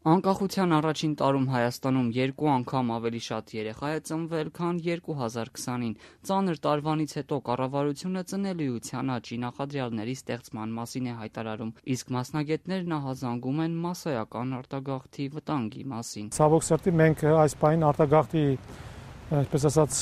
Անկախության առաջին տարում Հայաստանում 2 անգամ ավելի շատ երեխա է ծնվել, քան 2020-ին։ Ծանր տարվանից հետո կառավարությունը ծնելիության աճի նախադրյալների ստեղծման մասին է հայտարարում, իսկ մասնագետներն ահազանգում են մասսայական արտագաղթի վտանգի մասին։ Ցավոք սրտի մենք այս պահին արտագաղթի այսպես ասած,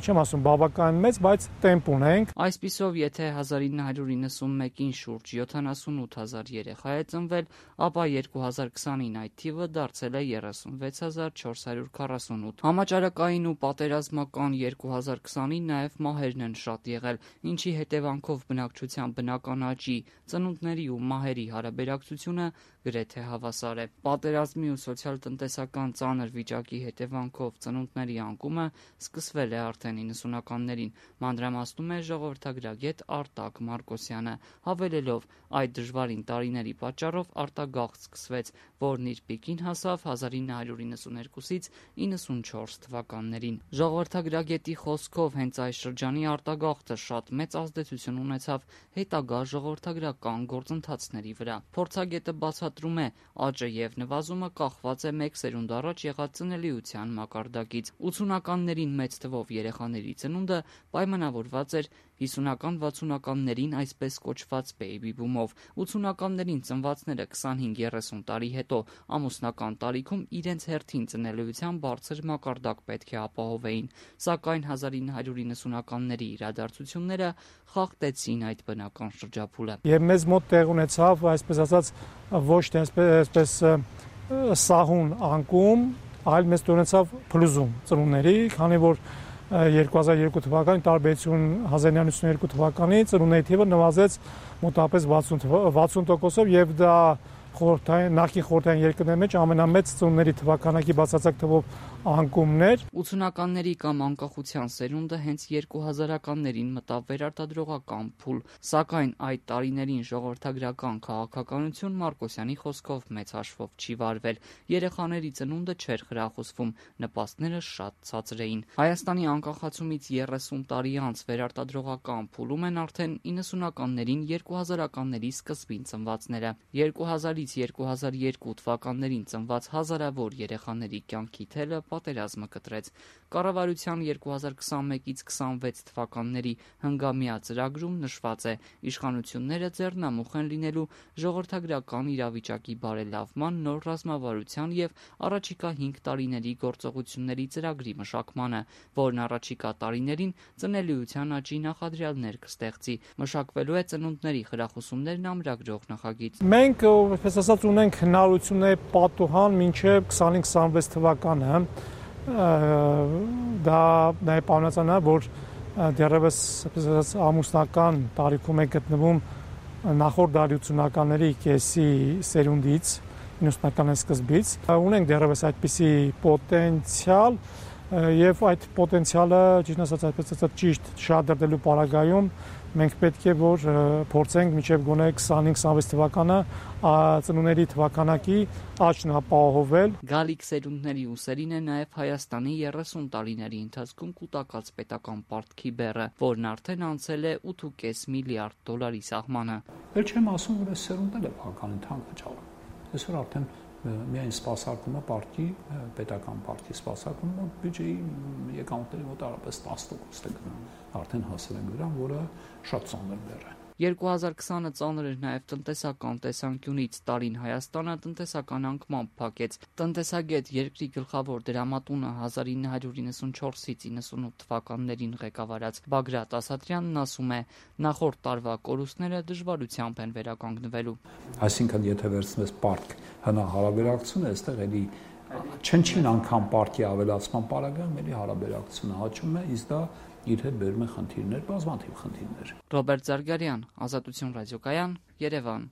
չեմ ասում բավական մեծ, բայց տեմպ ունենք։ Այսպիսով, եթե 1991-ին շուրջ 78,000 երեխա է ծնվել, ապա 2020-ին այդ թիվը դարձել է 36,448։ Համաճարակային ու պատերազմական 2020-ին նաև մահերն են շատ եղել, ինչի հետևանքով բնակչության բնական աճի, ծնունդների ու մահերի հարաբերակցությունը գրեթե հավասար է։ Պատերազմի ու սոցիալ-տնտեսական ծանր վիճակի հետևանքով ծնունդների անկումը սկսվել է արդեն 90-ականներին, մանրամասնում է ժողովրդագրագետ Արտակ Մարկոսյանը, հավելելով, այդ դժվարին տարիների պատճառով արտագաղթ սկսվեց, որն իր պիկին հասավ 1992-ից 94 թվականներին։ Ժողովրդագրագետի խոսքով հենց այս շրջանի արտագաղթը շատ մեծ ազդեցություն ունեցավ հետագա ժողովրդագրական գործընթացների վրա։ Փորձագետը բացատրում է, աճը եւ նվազումը կախված է մեկ սերունդ առաջ եղած ծնելիության մակարդակից։ 80-ականներին մեծ թվով երեխաների ծնունդը պայմանավորված էր 50-60-ականներին այսպես կոչված բեյբի բումով։ 80-ականներին ծնվածները 25-30 տարի հետո ամուսնական տարիքում իրենց հերթին ծնելիության բարձր մակարդակ պետք է ապահովեին, սակայն 1990-ականների իրադարձությունները խախտեցին այդ բնական շրջափուլը։ Եվ մեզ մոտ տեղ ունեցավ, այսպես ասած, ոչ թե այսպես սահուն անկում, այլ մեզ ունեցավ փլուզում ծնունդների, քանի որ 2002 թվականի տարբերություն 1992 թվականի ծնունդների թիվը նվազեց մոտավորապես 60%-ով եւ դա նախկին խորհրդային երկրների մեջ ամենամեծ ծնունդների թվականակի բացարձակ թվով անկումներ։ 80-ականների կամ անկախության սերունդը հենց 2000-ականներին մտավ վերարտադրողական փուլ, սակայն այդ տարիներին ժողովրդագրական քաղաքականություն Մարկոսյանի խոսքով մեծ հաշվով չի վարվել։ Երեխաների ծնունդը չէր խրախուսվում, նպաստները շատ ցածր էին։ Հայաստանի անկախացումից 30 տարի անց վերարտադրողական փուլում են արդեն 90-ականներին 2000-ականների սկզբին ծնվածները։ 2000-ից 2002 թվականներին ծնված հազարավոր երեխաների կյանքի թելը պատերազմը կտրեց։ Կառավարության 2021-ից 26 թվականների հնգամյա ծրագրում նշված է. իշխանությունները ձեռնամուխ են լինելու ժողովրդագրական իրավիճակի բարելավման, նոր ռազմավարության եւ առաջիկա 5 տարիների գործողությունների ծրագրի մշակմանը, որն առաջիկա տարիներին ծնելիության աճի նախադրյալներ կստեղծի։ Մշակվելու է ծնունդների խրախուսումներն ամրագրող նախագիծ։ Մենք, այսպես ասած, ունենք հնարավորություններ պատուհան մինչև 25-26 թվականը։ Դա նաև պայմանացանա, որ դեռևս այսպես ասած ամուսնական տարիքում է գտնվում նախորդ դարի 80-ականների կեսի սերունդից, 90-ականների սկզբից։ Ունենք դեռևս այդպիսի պոտենցիալ եւ այդ պոտենցիալը, ճիշտ ասած, այսպես ասած, ճիշտ շահադրելու պարագայում մենք պետք է որ փորձենք մինչև գոնե 25-26 թվականը ծնունդների թվականակի աճն ապահովել։ Գալիք սերունդների ուսերին է նաև Հայաստանի 30 տարիների ընթացքում կուտակած պետական պարտքի բեռը, որն արդեն անցել է 8.5 միլիարդ դոլարի սահմանը։ Էլ չեմ ասում, որ այս սերունդները բավականին թանկ վճարում։ Այսօր արդեն միայն սպասարկումը պարտքի, պետական պարտքի սպասարկումը բյուջեի եկամուտների մոտ առապես 10% է գնում։ Արդեն հասել են դրան, որը շատ ծանր բեռ է։ 2020-ը ծանր էր նաև տնտեսական տեսանկյունից։ Տարին Հայաստանը տնտեսական անկման փակեց։ Տնտեսագետ երկրի գլխավոր դրամատունը 1994-ից 98 թվականներին ղեկավարած Բագրատ Ասատրյանն ասում է, նախորդ տարվա կորուստները դժվարությամբ են վերականգնվելու։ Այսինքն, եթե վերցնես պարտք հնա հարաբերակցությունը, այստեղ էլի չնչին անգամ պարտքի ավելացման պարագայում էլի հարաբերակցությունը աճում է, իսկ դա իր հետ բերում է խնդիրներ, բազմաթիվ խնդիրներ։ Ռոբերտ Զարգարյան, Ազատություն ռադիոկայան, Երևան։